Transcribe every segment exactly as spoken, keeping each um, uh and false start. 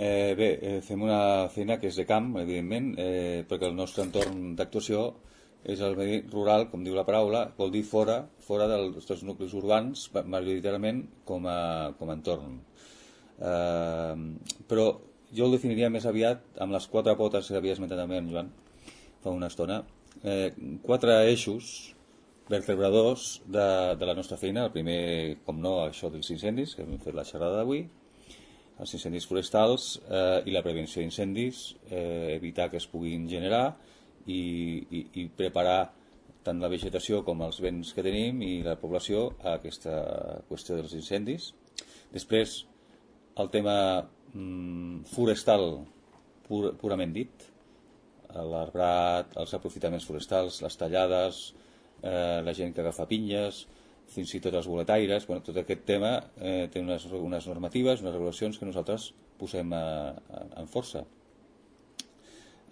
Eh, bé, eh, fem una feina que és de camp, evidentment, eh, perquè el nostre entorn d'actuació és el medi rural, com diu la paraula, vol dir fora, fora dels, dels nuclis urbans, majoritàriament com a, com a entorn. Eh, però jo el definiria més aviat amb les quatre potes que havia esmentat també en Joan fa una estona. Eh, quatre eixos vertebradors de, de la nostra feina. El primer, com no, això dels incendis, que hem fet la xerrada d'avui, els incendis forestals eh, i la prevenció d'incendis, eh, evitar que es puguin generar i, i, i preparar tant la vegetació com els béns que tenim i la població a aquesta qüestió dels incendis. Després, el tema mm, forestal pur, purament dit, l'arbrat, els aprofitaments forestals, les tallades, eh, la gent que agafa pinyes, fins i tot els boletaires. Bueno, tot aquest tema eh, té unes, unes normatives, unes regulacions que nosaltres posem a, a, en força.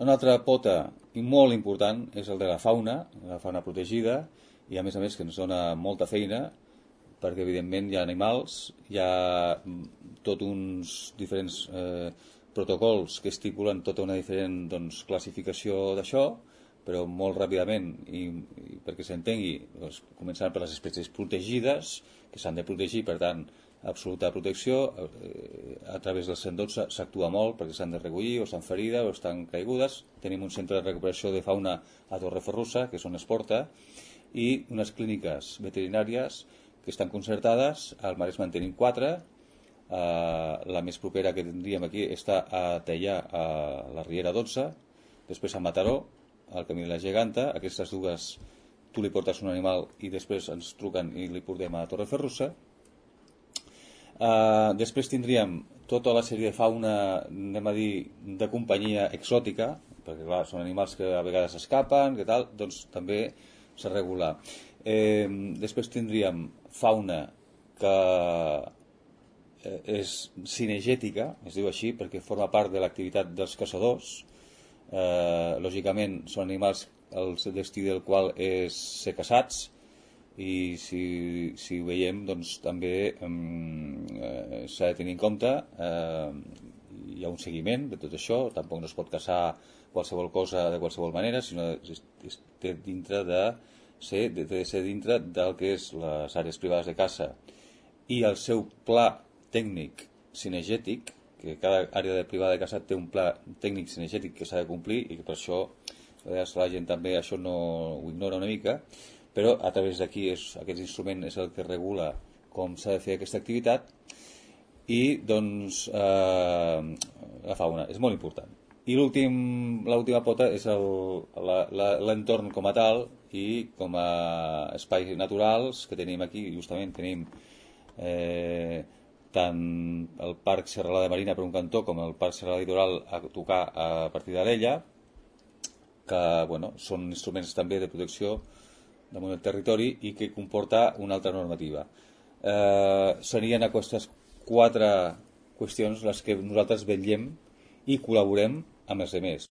Una altra pota i molt important és el de la fauna, la fauna protegida, i a més a més que ens dona molta feina, perquè evidentment hi ha animals, hi ha tot uns diferents eh, protocols que estipulen tota una diferent doncs, classificació d'això, però molt ràpidament, i, i perquè s'entengui, doncs, començant per les espècies protegides, que s'han de protegir, per tant, absoluta protecció. Eh, a través del cent dotze s'actua molt perquè s'han de recollir, o estan ferides, o estan caigudes. Tenim un centre de recuperació de fauna a Torreferrussa, que és on es porta, i unes clíniques veterinàries que estan concertades. Al Maresme en tenim quatre. Uh, la més propera que tindríem aquí està a Teià, a la Riera dotze, després a Mataró, al Camí de la Geganta. Aquestes dues tu li portes un animal i després ens truquen i li portem a Torreferrussa. Uh, després tindríem tota la sèrie de fauna, anem a dir, de companyia exòtica, perquè clar, són animals que a vegades escapen, que tal, doncs també s'ha de regular. Eh, després tindríem fauna que és cinegètica, es diu així perquè forma part de l'activitat dels caçadors. Eh, lògicament són animals el destí del qual és ser caçats, i si, si ho veiem doncs també eh, s'ha de tenir en compte. Eh, hi ha un seguiment de tot això, tampoc no es pot caçar qualsevol cosa de qualsevol manera, sinó que té dintre de ser, de, de ser dintre del que és les àrees privades de caça i el seu pla tècnic cinegètic, que cada àrea de privada de caça té un pla tècnic cinegètic que s'ha de complir, i que per això la gent també això no ho ignora una mica, però a través d'aquí és, aquest instrument és el que regula com s'ha de fer aquesta activitat. I doncs eh, la fauna és molt important. I l'última pota és l'entorn com a tal i com a espais naturals que tenim aquí. Justament tenim eh, tant el Parc Serralada Marina per un cantó com el Parc Serralada Litoral a tocar a partir de l'Ella, que bueno, són instruments també de protecció damunt del territori i que comporta una altra normativa. Eh, serien aquestes quatre qüestions les que nosaltres vetllem i col·laborem amb els altres.